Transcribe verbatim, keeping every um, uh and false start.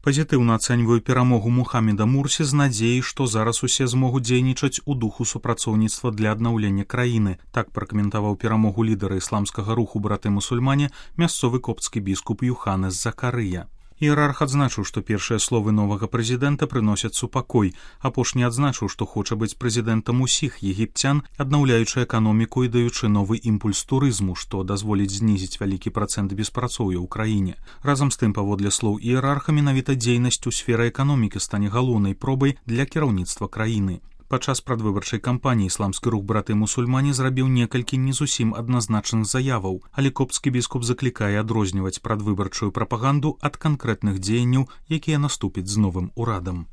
Пазітыўна ацэньваю перамогу Мухаммеда Мурсі з надзеяй, што зараз усе змогуць дзейнічаць у духу супрацоўніцтва для аднаўлення краіны. Так пракаментаваў перамогу лідара ісламскага руху браты-мусульмане мясцовы копцкі біскуп Юханес Закарыя. Іерарх адзначыў, што першыя словы новага прэзідэнта прыносяць супакой. Апошні адзначыў, што хоча быць прэзідэнтам усіх егіпцян, аднаўляючы эканоміку і даючы новы імпульс турызму, што дазволіць знізіць вялікі працэнт беспрацоўя ў краіне. Разам з тым, паводле слоў іерарха, менавіта дзейнасць у сферы эканомікі стане галоўнай пробай для кіраўніцтва краіны. Падчас прадвыбарчай кампаніі ісламскі рух браты-мусульмане зрабіў некалькі не зусім адназначных заяваў, але копцкі біскуп заклікае адрозніваць прадвыбарчую прапаганду ад канкрэтных дзеянняў, якія наступяць з новым урадам.